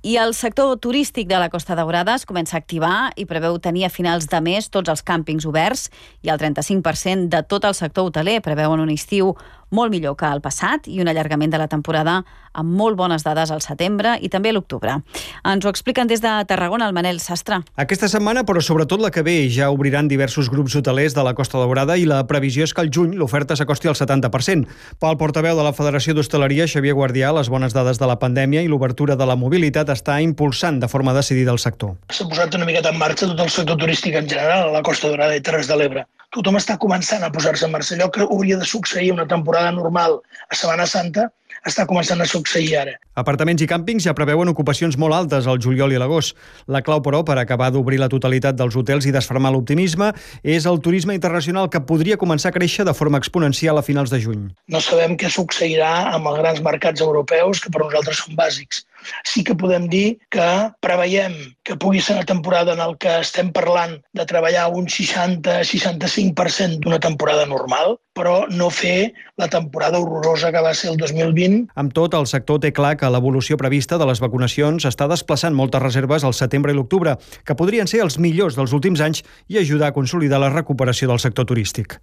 I el sector turístic de la Costa Daurada es comença a activar i preveu tenir a finals de mes tots els càmpings oberts i el 35% de tot el sector hoteler preveuen un estiu molt millor que el passat i un allargament de la temporada amb molt bones dades al setembre i també a l'octubre. Ens ho expliquen des de Tarragona el Manel Sastre. Aquesta setmana, però sobretot la que ve, ja obriran diversos grups hotelers de la Costa Daurada i la previsió és que al juny l'oferta s'acosti al 70%. Pel portaveu de la Federació d'Hostaleria, Xavier Guardià, les bones dades de la pandèmia i l'obertura de la mobilitat està impulsant de forma decidida el sector. S'ha posat una miqueta en marxa tot el sector turístic en general a la Costa Daurada i Terres de l'Ebre. Tothom està començant a posar-se en marxa. Allò que hauria de succeir una temporada normal a Setmana Santa està començant a succeir ara. Apartaments i càmpings ja preveuen ocupacions molt altes al juliol i l'agost. La clau, però, per acabar d'obrir la totalitat dels hotels i desfermar l'optimisme és el turisme internacional, que podria començar a créixer de forma exponencial a finals de juny. No sabem què succeirà amb els grans mercats europeus, que per nosaltres són bàsics. Sí que podem dir que preveiem que pugui ser una temporada en el que estem parlant de treballar un 60-65% d'una temporada normal, però no fer la temporada horrorosa que va ser el 2020. Amb tot, el sector té clar que l'evolució prevista de les vacunacions està desplaçant moltes reserves al setembre i l'octubre, que podrien ser els millors dels últims anys i ajudar a consolidar la recuperació del sector turístic.